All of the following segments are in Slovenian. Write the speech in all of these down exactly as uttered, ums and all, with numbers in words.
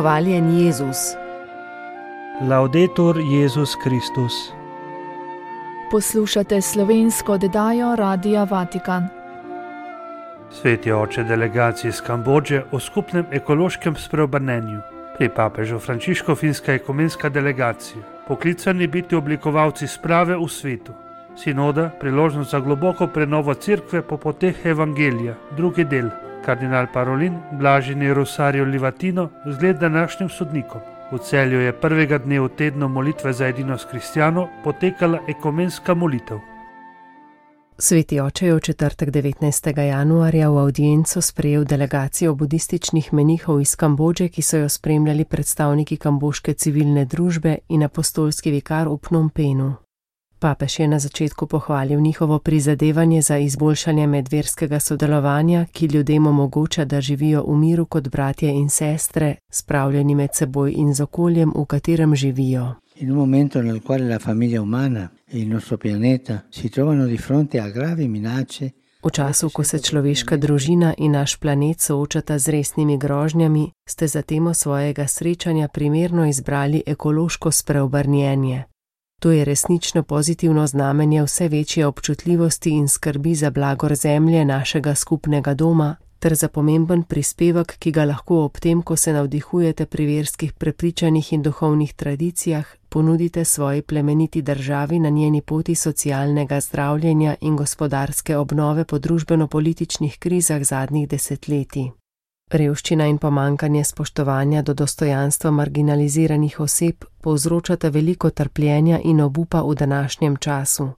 Hvaljen Jezus. Laudetur Jezus Kristus. Poslušate slovensko oddajo Radia Vatikan. Sveti oče delegaciji iz Kambodže o skupnem ekološkem spreobrnenju. Pri papežu Frančišku finska ekumenska delegacija, poklicani biti oblikovalci sprave v svetu. Sinoda, priložnost za globoko prenovo cerkve po poteh evangelija, drugi del. Kardinal Parolin, blaženi Rosario Livatino, zgled današnjim sodnikom. V Celju je prvega dne v tednu molitve za edinost kristjanov potekala ekumenska molitev. Sveti oče je v četrtek devetnajstega januarja v avdienco sprejel delegacijo budističnih menihov iz Kambodže, ki so jo spremljali predstavniki kambožke civilne družbe in apostolski vikar v Phnom Penhu. Papež je na začetku pohvalil njihovo prizadevanje za izboljšanje medverskega sodelovanja, ki ljudem omogoča, da živijo v miru kot bratje in sestre, spravljeni med seboj in z okoljem, v katerem živijo. In un momento nel quale la famiglia umana e il nostro pianeta si trovano di fronte a gravi minacce. V času, ko se človeška družina in naš planet soočata z resnimi grožnjami, ste za temo svojega srečanja primerno izbrali ekološko spreobrnjenje. To je resnično pozitivno znamenje vse večje občutljivosti in skrbi za blagor zemlje našega skupnega doma, ter za pomemben prispevek, ki ga lahko ob tem, ko se navdihujete pri verskih prepričanjih in duhovnih tradicijah, ponudite svoji plemeniti državi na njeni poti socialnega zdravljenja in gospodarske obnove po družbeno-političnih krizah zadnjih desetletij. Revščina in pomankanje spoštovanja do dostojanstva marginaliziranih oseb povzročata veliko trpljenja in obupa v današnjem času.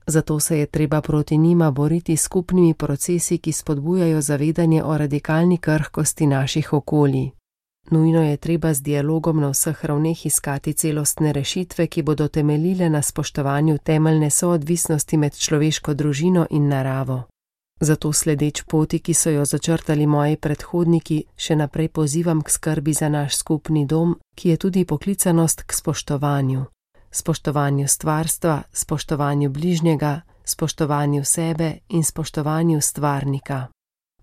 Zato se je treba proti njima boriti s skupnimi procesi, ki spodbujajo zavedanje o radikalni krhkosti naših okolij. Nujno je treba z dialogom na vseh ravneh iskati celostne rešitve, ki bodo temeljile na spoštovanju temeljne soodvisnosti med človeško družino in naravo. Zato sledeč poti, ki so jo začrtali moji predhodniki, še naprej pozivam k skrbi za naš skupni dom, ki je tudi poklicanost k spoštovanju. Spoštovanju stvarstva, spoštovanju bližnjega, spoštovanju sebe in spoštovanju stvarnika.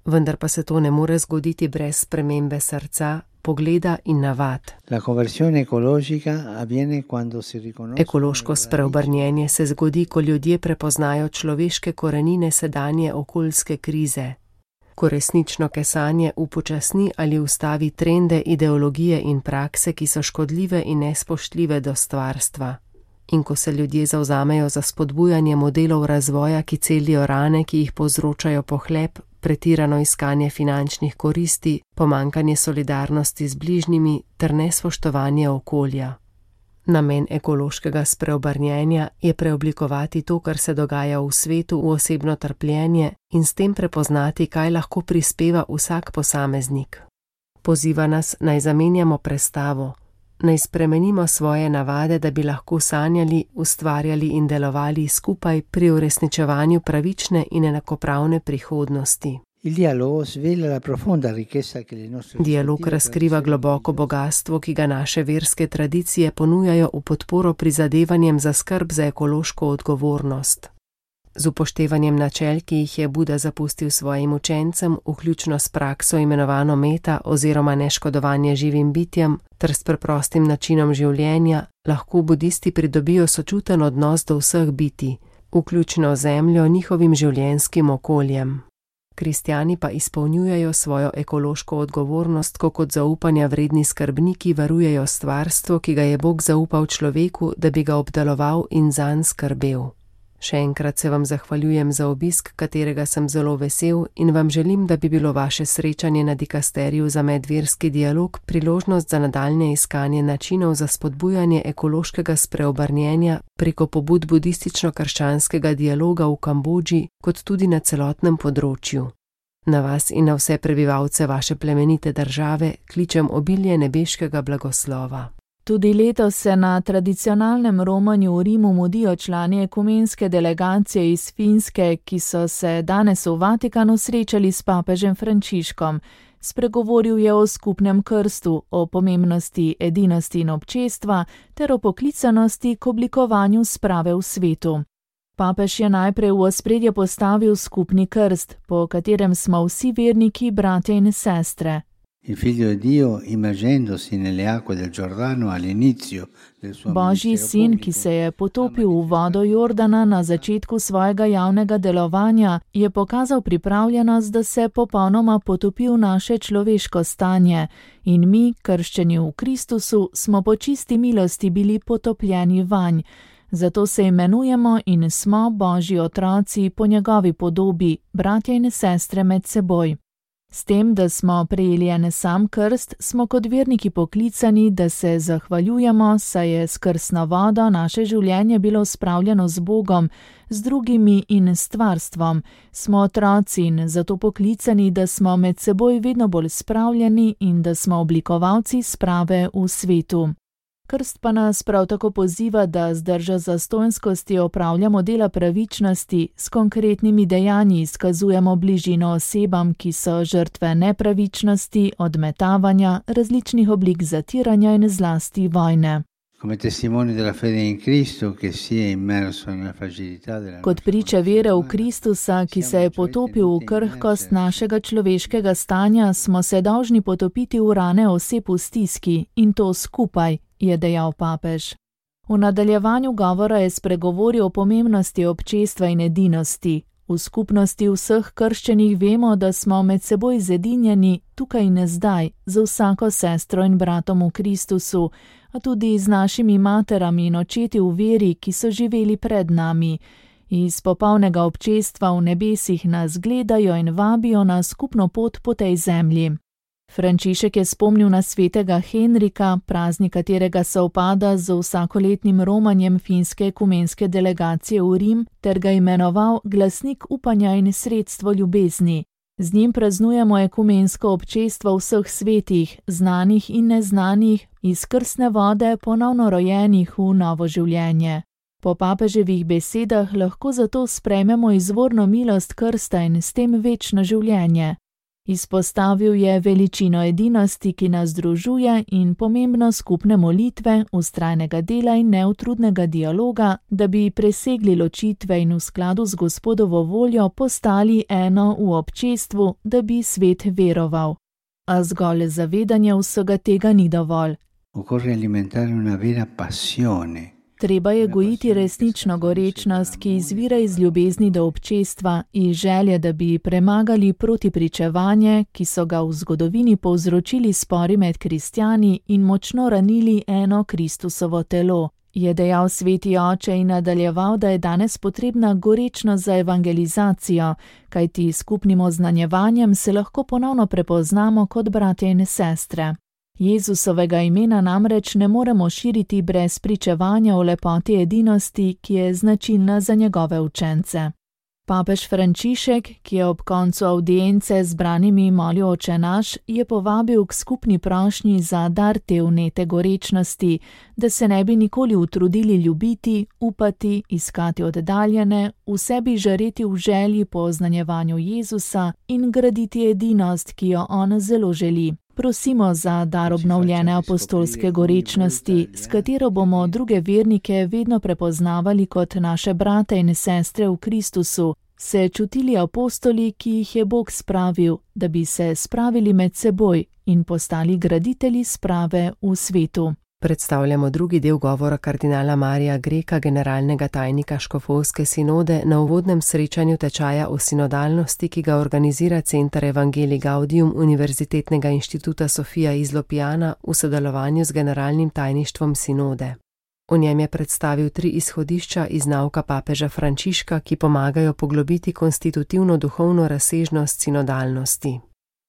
Vendar pa se to ne more zgoditi brez spremembe srca, pogleda in navad. Ekološko spreobrnjenje se zgodi, ko ljudje prepoznajo človeške korenine sedanje okoljske krize. Ko resnično kesanje upočasni ali ustavi trende, ideologije in prakse, ki so škodljive in nespoštljive do stvarstva. In ko se ljudje zavzamejo za spodbujanje modelov razvoja, ki celijo rane, ki jih povzročajo pohlep, pretirano iskanje finančnih koristi, pomankanje solidarnosti z bližnjimi ter nespoštovanje okolja. Namen ekološkega spreobrnjenja je preoblikovati to, kar se dogaja v svetu, v osebno trpljenje in s tem prepoznati, kaj lahko prispeva vsak posameznik. Poziva nas, naj zamenjamo prestavo, naj spremenimo svoje navade, da bi lahko sanjali, ustvarjali in delovali skupaj pri uresničevanju pravične in enakopravne prihodnosti. Dialog razkriva globoko bogastvo, ki ga naše verske tradicije ponujajo v podporo prizadevanjem za skrb za ekološko odgovornost. Z upoštevanjem načel, ki jih je Buda zapustil svojim učencem, vključno s prakso imenovano meta oziroma neškodovanje živim bitjem, ter s preprostim načinom življenja, lahko budisti pridobijo sočuten odnos do vseh bitij, vključno zemljo, njihovim življenjskim okoljem. Kristjani pa izpolnjujejo svojo ekološko odgovornost, ko kot zaupanja vredni skrbniki varujejo stvarstvo, ki ga je Bog zaupal človeku, da bi ga obdeloval in zanj skrbel. Še enkrat se vam zahvaljujem za obisk, katerega sem zelo vesel, in vam želim, da bi bilo vaše srečanje na dikasteriju za medverski dialog priložnost za nadaljnje iskanje načinov za spodbujanje ekološkega spreobrnjenja preko pobud budistično-krščanskega dialoga v Kambodži, kot tudi na celotnem področju. Na vas in na vse prebivalce vaše plemenite države kličem obilje nebeškega blagoslova. Tudi letos se na tradicionalnem romanju v Rimu mudijo člani ekumenske delegacije iz Finske, ki so se danes v Vatikanu srečali s papežem Frančiškom. Spregovoril je o skupnem krstu, o pomembnosti edinosti in občestva ter o poklicanosti k oblikovanju sprave v svetu. Papež je najprej v ospredje postavil skupni krst, po katerem smo vsi verniki bratje in sestre. Il figlio di Dio, immergendosi nelle acque del Giordano all'inizio del suo Božji sin, ki se je potopil v vodo Jordana na začetku svojega javnega delovanja, je pokazal pripravljenost, da se popolnoma potopi v naše človeško stanje. In mi, krščeni v Kristusu, smo po čisti milosti bili potopljeni vanj. Zato se imenujemo in smo Božji otroci po njegovi podobi, bratje in sestre med seboj. S tem, da smo prejeli en sam krst, smo kot verniki poklicani, da se zahvaljujemo, saj je s krstno vodo naše življenje bilo spravljeno z Bogom, z drugimi in s stvarstvom. Smo otroci in zato poklicani, da smo med seboj vedno bolj spravljeni in da smo oblikovalci sprave v svetu. Krst pa nas prav tako poziva, da z držo zastonjskosti opravljamo dela pravičnosti, s konkretnimi dejanji izkazujemo bližino osebam, ki so žrtve nepravičnosti, odmetavanja, različnih oblik zatiranja in zlasti vojne. Kot priče vere v Kristusa, ki se je potopil v krhkost našega človeškega stanja, smo se dolžni potopiti v rane oseb v stiski in to skupaj, je dejal papež. V nadaljevanju govora je spregovoril o pomembnosti občestva in edinosti. V skupnosti vseh krščenih vemo, da smo med seboj zedinjeni tukaj in zdaj, za vsako sestro in bratom v Kristusu, a tudi z našimi materami in očeti v veri, ki so živeli pred nami. Iz popolnega občestva v nebesih nas gledajo in vabijo na skupno pot po tej zemlji. Frančišek je spomnil na svetega Henrika, praznik katerega se upada z vsakoletnim romanjem finske ekumenske delegacije v Rim, ter ga imenoval glasnik upanja in sredstvo ljubezni. Z njim praznujemo ekumensko občestvo vseh svetih, znanih in neznanih, iz krstne vode ponovno rojenih v novo življenje. Po papeževih besedah lahko zato sprejmemo izvorno milost krsta in s tem večno življenje. Izpostavil je veličino edinosti, ki nas združuje, in pomembnost skupne molitve, vztrajnega dela in neutrudnega dialoga, da bi presegli ločitve in v skladu z Gospodovo voljo postali eno v občestvu, da bi svet veroval. A zgolj zavedanje vsega tega ni dovolj. Occorre alimentare una vera passione. Treba je gojiti resnično gorečnost, ki izvira iz ljubezni do občestva in želje, da bi premagali protipričevanje, ki so ga v zgodovini povzročili spori med kristjani in močno ranili eno Kristusovo telo, je dejal sveti oče in nadaljeval, da je danes potrebna gorečnost za evangelizacijo, kajti skupnim oznanjevanjem se lahko ponovno prepoznamo kot bratje in sestre. Jezusovega imena namreč ne moremo širiti brez pričevanja o lepoti edinosti, ki je značilna za njegove učence. Papež Frančišek, ki je ob koncu avdience z branimi molil Oče naš, je povabil k skupni prošnji za dar te vnete gorečnosti, da se ne bi nikoli utrudili ljubiti, upati, iskati oddaljene, v sebi žareti v želji po oznanjevanju Jezusa in graditi edinost, ki jo on zelo želi. Prosimo za dar obnovljene apostolske gorečnosti, s katero bomo druge vernike vedno prepoznavali kot naše brate in sestre v Kristusu, se čutili apostoli, ki jih je Bog spravil, da bi se spravili med seboj in postali graditelji sprave v svetu. Predstavljamo drugi del govora kardinala Marija Greka, generalnega tajnika Škofovske sinode, na uvodnem srečanju tečaja o sinodalnosti, ki ga organizira Center Evangelii Gaudium Univerzitetnega inštituta Sofia iz Lopijana v sodelovanju z generalnim tajništvom sinode. V njem je predstavil tri izhodišča iz nauka papeža Frančiška, ki pomagajo poglobiti konstitutivno duhovno razsežnost sinodalnosti.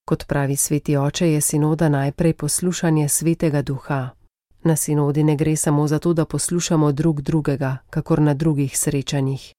Kot pravi sveti oče, je sinoda najprej poslušanje svetega duha. Na sinodi ne gre samo za to, da poslušamo drug drugega, kakor na drugih srečanjih.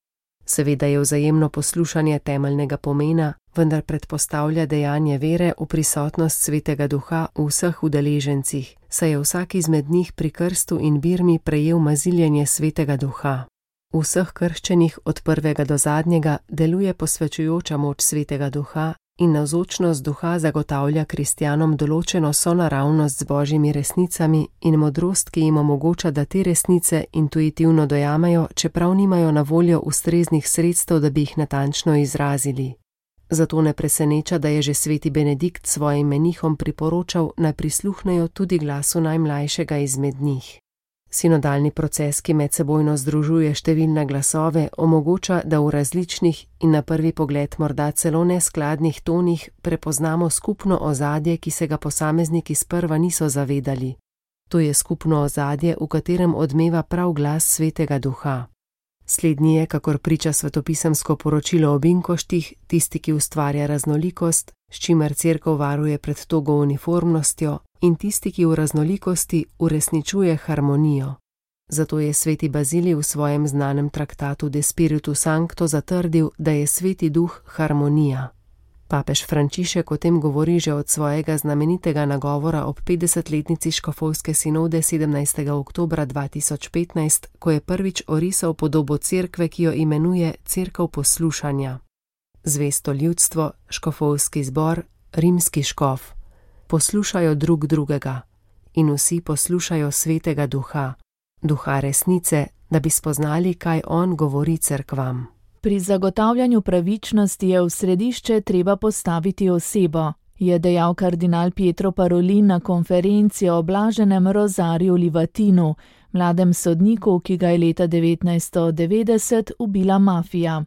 Seveda je vzajemno poslušanje temeljnega pomena, vendar predpostavlja dejanje vere v prisotnost svetega duha v vseh udeležencih, saj je vsak izmed njih pri krstu in birmi prejel maziljenje svetega duha. V vseh krščenih od prvega do zadnjega deluje posvečujoča moč svetega duha in navzočnost duha zagotavlja kristjanom določeno sonaravnost z božjimi resnicami in modrost, ki jim omogoča, da te resnice intuitivno dojamejo, čeprav nimajo na voljo ustreznih sredstev, da bi jih natančno izrazili. Zato ne preseneča, da je že sveti Benedikt svojim menihom priporočal, naj prisluhnejo tudi glasu najmlajšega izmed njih. Sinodalni proces, ki medsebojno združuje številne glasove, omogoča, da v različnih in na prvi pogled morda celo neskladnih tonih prepoznamo skupno ozadje, ki se ga posamezniki sprva niso zavedali. To je skupno ozadje, v katerem odmeva prav glas Svetega Duha. Slednji je, kakor priča svetopisemsko poročilo o binkoštih, tisti, ki ustvarja raznolikost, s čimer cerkev varuje pred togo uniformnostjo, in tisti, ki v raznolikosti uresničuje harmonijo. Zato je sveti Bazilij v svojem znanem traktatu De Spiritu Sancto zatrdil, da je sveti duh harmonija. Papež Frančišek o tem govori že od svojega znamenitega nagovora ob petdesetletnici škofovske sinode sedemnajstega oktobra dva tisoč petnajst, ko je prvič orisal podobo cerkve, ki jo imenuje Cerkev poslušanja. Zvesto ljudstvo, škofovski zbor, rimski škof poslušajo drug drugega in vsi poslušajo Svetega Duha, Duha resnice, da bi spoznali, kaj on govori cerkvam. Pri zagotavljanju pravičnosti je v središče treba postaviti osebo, je dejal kardinal Pietro Parolin na konferenci o blaženem Rozariju Livatinu, mladem sodniku, ki ga je leta devetnajststo devetdeset ubila mafija.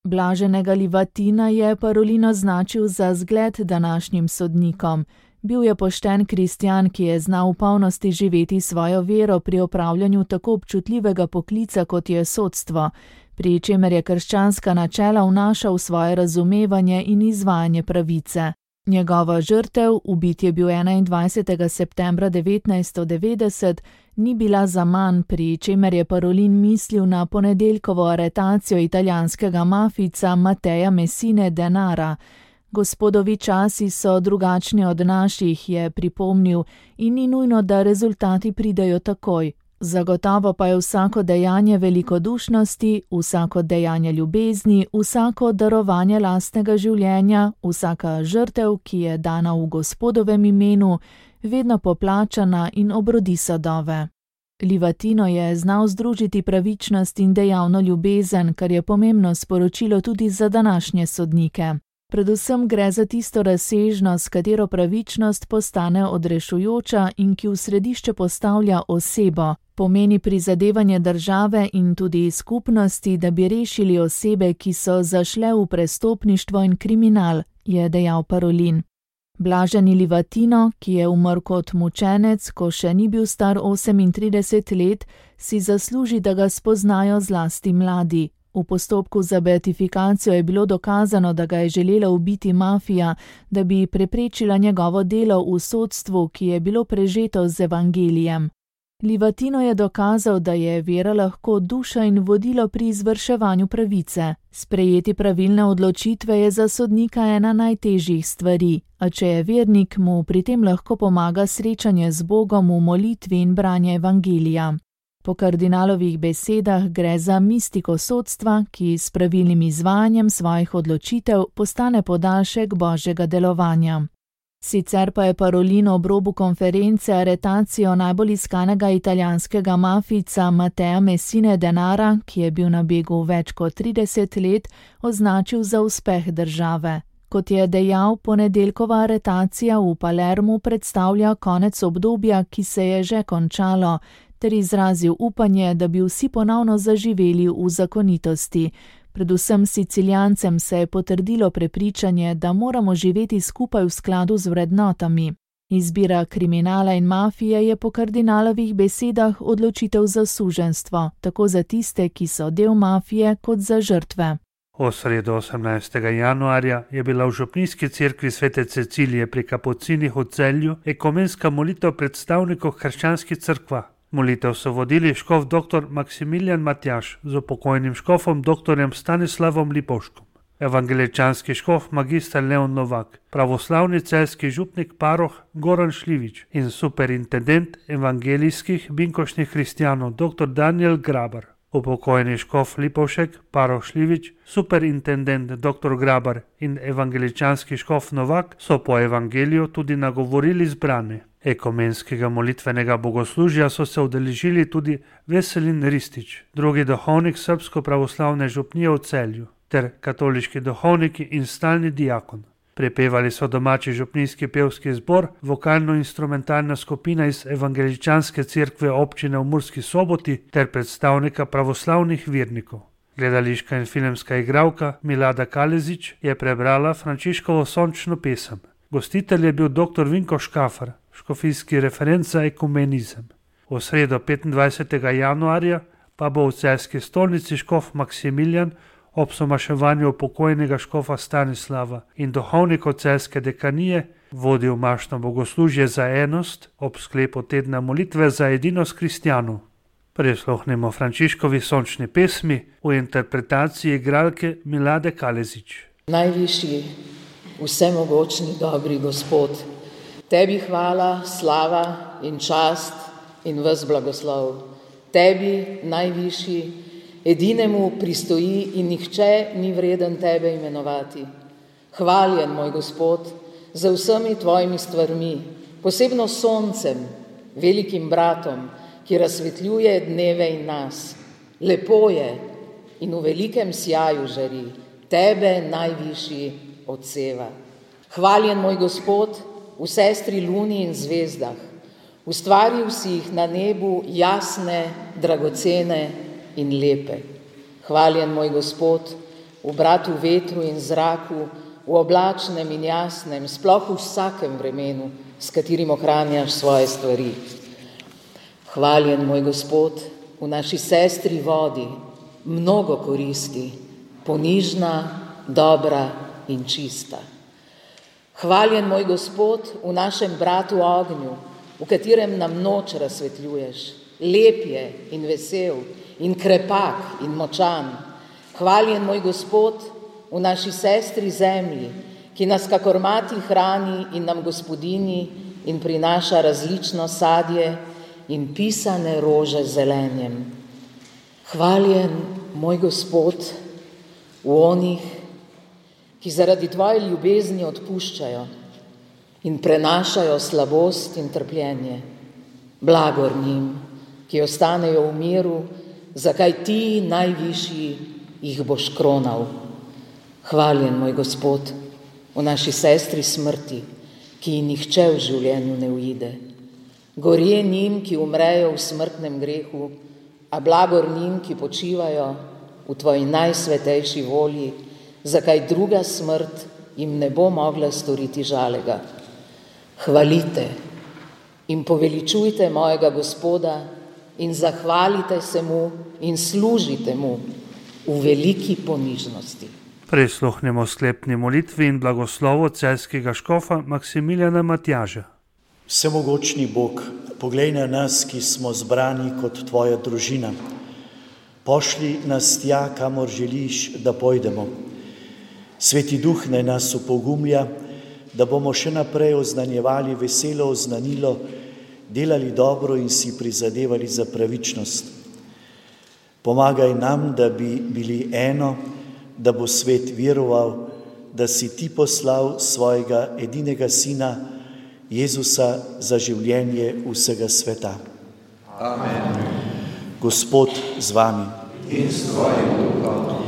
Blaženega Livatina je Parolin označil za zgled današnjim sodnikom. Bil je pošten kristjan, ki je znal v polnosti živeti svojo vero pri opravljanju tako občutljivega poklica, kot je sodstvo, pri čemer je krščanska načela vnašal v svoje razumevanje in izvajanje pravice. Njegova žrtev, ubit je bil enaindvajsetega septembra devetnajststo devetdeset, ni bila zaman, pri čemer je Parolin mislil na ponedeljkovo aretacijo italijanskega mafijca Matteja Messine Denara. Gospodovi časi so drugačni od naših, je pripomnil, in ni nujno, da rezultati pridejo takoj. Zagotovo pa je vsako dejanje velikodušnosti, vsako dejanje ljubezni, vsako darovanje lastnega življenja, vsaka žrtev, ki je dana v Gospodovem imenu, vedno poplačana in obrodi sadove. Livatino je znal združiti pravičnost in dejavno ljubezen, kar je pomembno sporočilo tudi za današnje sodnike. Predvsem gre za tisto razsežnost, s katero pravičnost postane odrešujoča in ki v središče postavlja osebo, pomeni prizadevanje države in tudi skupnosti, da bi rešili osebe, ki so zašle v prestopništvo in kriminal, je dejal Parolin. Blaženi Livatino, ki je umrl kot mučenec, ko še ni bil star osemintrideset let, si zasluži, da ga spoznajo zlasti mladi. V postopku za beatifikacijo je bilo dokazano, da ga je želela ubiti mafija, da bi preprečila njegovo delo v sodstvu, ki je bilo prežeto z evangelijem. Livatino je dokazal, da je vera lahko duša in vodilo pri izvrševanju pravice. Sprejeti pravilne odločitve je za sodnika ena najtežjih stvari, a če je vernik, mu pri tem lahko pomaga srečanje z Bogom v molitvi in branje evangelija. Po kardinalovih besedah gre za mistiko sodstva, ki s pravilnim izvajanjem svojih odločitev postane podaljšek božjega delovanja. Sicer pa je Parolin ob robu konference aretacijo najbolj iskanega italijanskega mafijca Mattea Messine Denara, ki je bil na begu več kot trideset let, označil za uspeh države. Kot je dejal, ponedeljkova aretacija v Palermu predstavlja konec obdobja, ki se je že končalo, ter izrazil upanje, da bi vsi ponovno zaživeli v zakonitosti. Predvsem Sicilijancem se je potrdilo prepričanje, da moramo živeti skupaj v skladu z vrednotami. Izbira kriminala in mafije je po kardinalovih besedah odločitev za suženjstvo, tako za tiste, ki so del mafije, kot za žrtve. V sredo osemnajstega januarja je bila v župnijski cerkvi svete Cecilije pri Kapucinih v Celju ekumenska molitev predstavnikov krščanskih cerkva. Molitev so vodili škof dr. Maksimilijan Matjaž z upokojnim škofom dr. Stanislavom Lipovškom, evangeličanski škof magister Leon Novak, pravoslavni celjski župnik paroh Goran Šljivič in superintendent evangelijskih binkošnih hristijanov dr. Daniel Grabar. Upokojeni škof Lipovšek, paroh Šljivič, superintendent dr. Grabar in evangeličanski škof Novak so po evangeliju tudi nagovorili zbrane. Ekumenskega molitvenega bogoslužja so se udeležili tudi Veselin Ristić, drugi duhovnik srbsko pravoslavne župnije v Celju. ter katoliški duhovniki in stalni diakon. Prepevali so domači župnijski pevski zbor, vokalno-instrumentalna skupina iz evangeličanske cerkve občine v Murski Soboti ter predstavnika pravoslavnih vernikov. Gledališka in filmska igralka Milada Kalezić je prebrala Frančiškovo sončno pesem. Gostitelj je bil doktor Vinko Škafar, škofijski referent za ekumenizem. V sredo petindvajsetega januarja pa bo v celjski stolnici škof Maksimilijan ob somaševanju pokojnega škofa Stanislava in duhovnikov celjske dekanije vodil mašno bogoslužje za enost ob sklepu tedna molitve za edinost kristjanov. Prisluhnimo Frančiškovi sončni pesmi v interpretaciji igralke Milade Kalezić. Najvišji, vsemogočni, dobri Gospod, tebi hvala, slava in čast in ves blagoslov. Tebi, najvišji, edinemu pristoji in nihče ni vreden tebe imenovati. Hvaljen, moj Gospod, za vsemi tvojimi stvarmi, posebno soncem, velikim bratom, ki razsvetljuje dneve in nas. Lepo je in v velikem sjaju žari, tebe najvišji odseva. Hvaljen, moj Gospod, v sestri luni in zvezdah, ustvaril si jih na nebu jasne, dragocene in lepe. Hvaljen, moj Gospod, v bratu vetru in zraku, v oblačnem in jasnem, sploh v vsakem vremenu, s katerim ohranjaš svoje stvari. Hvaljen, moj Gospod, v naši sestri vodi, mnogo koristi, ponižna, dobra in čista. Hvaljen, moj Gospod, v našem bratu ognju, v katerem nam noč razsvetljuješ, lep je in vesel in krepak in močan. Hvaljen, moj Gospod, v naši sestri zemlji, ki nas kakor mati hrani in nam gospodini in prinaša različno sadje in pisane rože zelenjem. Hvaljen, moj Gospod, v onih, ki zaradi tvoje ljubezni odpuščajo in prenašajo slabost in trpljenje. Blagor njim, ki ostanejo v miru, zakaj ti, najvišji, jih boš kronal. Hvaljen, moj Gospod, v naši sestri smrti, ki ji nihče v življenju ne uide. Gorje njim, ki umrejo v smrtnem grehu, a blagor njim, ki počivajo v tvoji najsvetejši volji, zakaj druga smrt jim ne bo mogla storiti žalega. Hvalite in poveličujte mojega Gospoda in zahvalite se mu in služite mu v veliki ponižnosti. Prisluhnimo sklepni molitvi in blagoslovu celjskega škofa Maksimiljana Matjaža. Vsemogočni Bog, poglej na nas, ki smo zbrani kot tvoja družina. Pošli nas tja, kamor želiš, da pojdemo. Sveti Duh naj nas opogumlja, da bomo še naprej oznanjevali veselo oznanilo, delali dobro in si prizadevali za pravičnost. Pomagaj nam, da bi bili eno, da bo svet veroval, da si ti poslal svojega edinega sina, Jezusa, za življenje vsega sveta. Amen. Gospod z vami. In s tvojim duhom.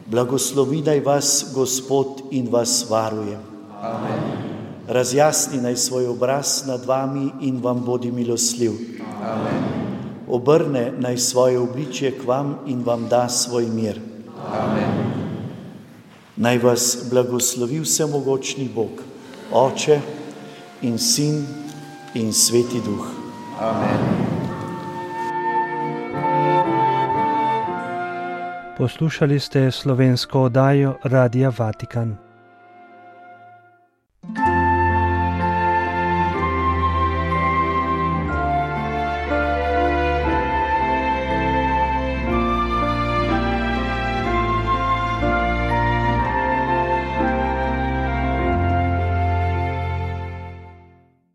Blagoslovi naj vas Gospod in vas varuje. Amen. Razjasni naj svoj obraz nad vami in vam bodi milostljiv. Amen. Obrne naj svoje obličje k vam in vam da svoj mir. Amen. Naj vas blagoslovi vsemogočni Bog, Oče in Sin in Sveti Duh. Amen. Poslušali ste slovensko oddajo Radia Vatikan.